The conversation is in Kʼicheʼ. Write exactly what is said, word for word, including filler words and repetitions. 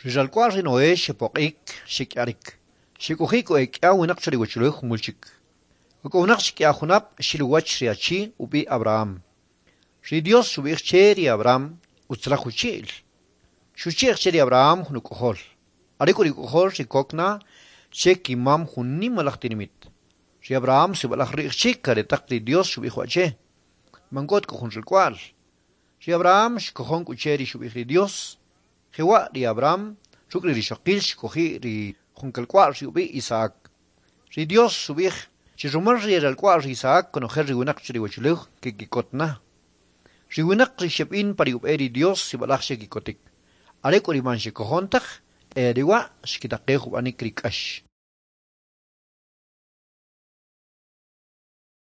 Ri ralk'wa'l ri Noé xepoq'ik, xek'iarik, xek'oji' k'u e k'ia winaq cho ri uwachulew jumul chik. Ok'owinaq chi k'ia junab' xil uwach ri achi ub'i' Abraham. Ri Dios xub'ij che ri Abraham utzalaj uchi'l. Xuchi'j che ri Abraham jun uk'ojol. Are k'u ri uk'ojol ri kok na che kimam jun nimalaj tinimit. Ri Abraham sib'alaj ri'j chik aretaq ri Dios xub'ij wa' che, man k'o ta k'u jun ralk'wa'l. Ri Abraham xkojon k'u che ri xub'ij ri Dios. Jewa' ri Abraham ruk' ri rixoqil xk'oji' ri jun kalk'wa'l ri ub'i' Isaac. Ri Dios xub'ij chi rumal ri ralk'wa'l ri Isaac konojel ri winaq cho ri uwachulew keki'kot na. Ri winaq ri xeb'in pa ri ub'e ri Dios sib'alaj xeki'kotik. Are k'u ri man xekojon taj, e are wa' xkitaqej ub'anik ri k'ax.